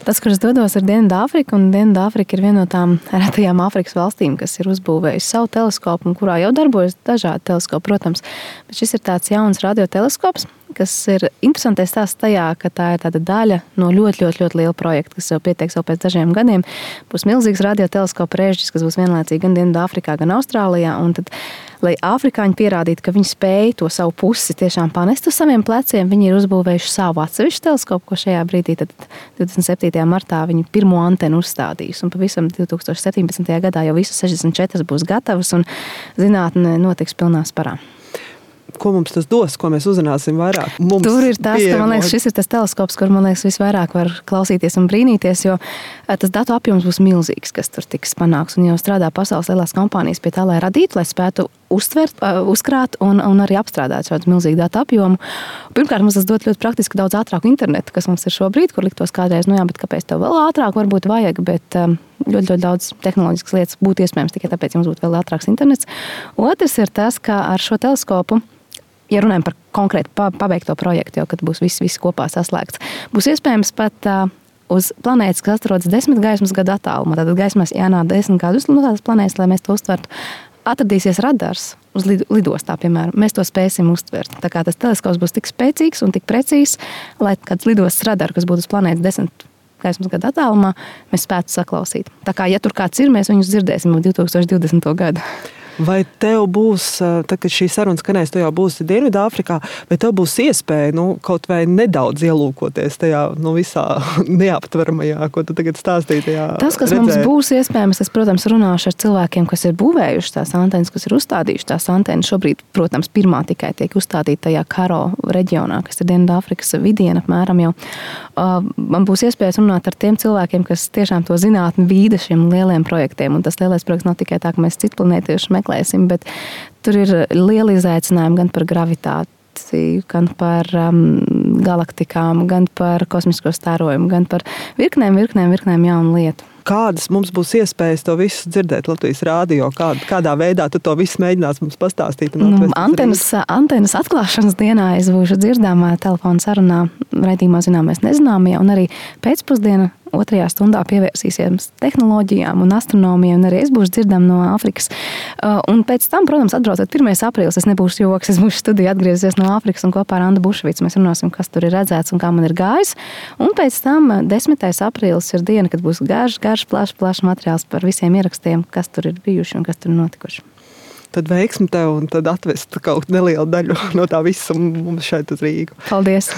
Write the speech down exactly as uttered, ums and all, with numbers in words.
Tas, kur es dodos, ir Dienvidāfrika, un Dienvidāfrika ir viena no tām retajām Āfrikas valstīm, kas ir uzbūvējusi savu teleskopu, un kurā jau darbojas dažādi teleskopi, protams. Bet šis ir tāds jauns radioteleskops, kas ir interesantais stāsts tajā, ka tā ir tāda daļa no ļoti, ļoti, ļoti liela projekta, kas jau pietiek jau pēc dažiem gadiem. Būs milzīgs radioteleskopa režģis, kas būs vienlaicīgi gan Dienvidāfrikā, gan Austrālijā, un tad, lai afrikāņi pierādītu, ka viņi spēj to savu pusi tiešām panest uz saviem pleciem, viņi ir uzbūvējuši savu atsevišķu teleskopu, ko šajā brīdī tad divdesmit septītajā martā viņi pirmo antenu uzstādīs. Un pavisam divi tūkstoši septiņpadsmitajā gadā jau visas sešdesmit četras būs gatavas un zinātne notiks pilnā sparā. Ko mums tas dos, ko mēs uzzināsim vairāk? Mums Tur ir tas, ka, man liekas, šis ir tas teleskops, kur, man liekas, visvairāk var klausīties un brīnīties, jo tas datu apjoms būs milzīgs, kas tur tiks panāks. Un jau strādā pasaules lielās kompānijas pie tā, lai radītu, lai spētu uztvert, uzkrāt un, un arī apstrādāt šādu milzīgu datu apjomu. Pirmkārt, mums tas dot ļoti praktiski daudz ātrāku internetu, kas mums ir šobrīd, kur liktos kādreiz, nu jā, bet kāpēc tev vēl ātrāk varbūt vajag, bet ļoti, ļoti daudz tehnoloģiskas lietas būtu iespējams tikai tāpēc, ja mums būtu vēl ātrāks internets. Otrs ir tas, ka ar šo teleskopu, ja runājam par konkrēti pabeigto projektu, jau kad būs viss, viss kopā saslēgts, būs iespējams pat uh, uz planētas, kas atrodas desmit gaismas gadu attālumā, tātad gaismas jānāk desmit gadus no tādas planētas, lai mēs to uztvertu, atradīsies radars uz lidostā, piemēram. Mēs to spēsim uztvert. Tā kā tas teleskops būs tik spēcīgs un tik precīzs, lai kāds lidostas radars, kas būtu uz planētas desmit gaismas gadu attālumā, mēs spētu saklausīt. Tā kā, ja tur kāds ir, mēs viņus dzirdēsim divi tūkstoši divdesmito gadu. Vai tev būs, tad, kad šī saruna skanēs, tu jau būsi Dienvidāfrikā, vai tev būs iespēja nu, kaut vai nedaudz ielūkoties tajā nu, visā neaptveramajā, ko tu tagad stāstīji tajā Tas, kas redzē. Mums būs iespējams, es, protams, runāšu ar cilvēkiem, kas ir būvējuši tās antenas, kas ir uzstādījuši tās antenas. Šobrīd, protams, pirmā tikai tiek uzstādīta tajā Karo reģionā, kas ir Dienvidāfrikas vidiena apmēram jau. Man būs iespējas runāt ar tiem cilvēkiem, kas tiešām to zinātni vīda šiem lieliem projektiem. Un tas lielais projekts nav tikai tā, ka mēs citplanētieši meklēsim, bet tur ir lieli izaicinājumi gan par gravitāciju, gan par um, galaktikām, gan par kosmisko starojumu, gan par virknēm, virknēm, virknēm jaunu lietu. Kādas mums būs iespējas to visu dzirdēt Latvijas rādio? Kā, kādā veidā tu to visu mēģinās mums pastāstīt? Nu, antenas, antenas atklāšanas dienā es būšu dzirdāmā telefona sarunā raidījumā Zināmais nezināmie, un arī pēcpusdiena otrajā stundā pievērsīsies tehnoloģijām un astronomijai, un arī es būšu dzirdama no Āfrikas. Un pēc tam, protams, atbraucot pirmais aprīlis, es nebūšu joks, es būšu studiju atgriezies no Āfrikas un kopā ar Andu Bušvicu mēs runāsim, kas tur ir redzēts un kā man ir gājis. Un pēc tam desmitais aprīlis ir diena, kad būs garš, garš, plašs, plašs materiāls par visiem ierakstiem, kas tur ir bijuši un kas tur ir notikuši. Tad veiksmi tev un tad atvest kaut nelielu daļu no tā visa mums šeit uz Rīgu. Paldies!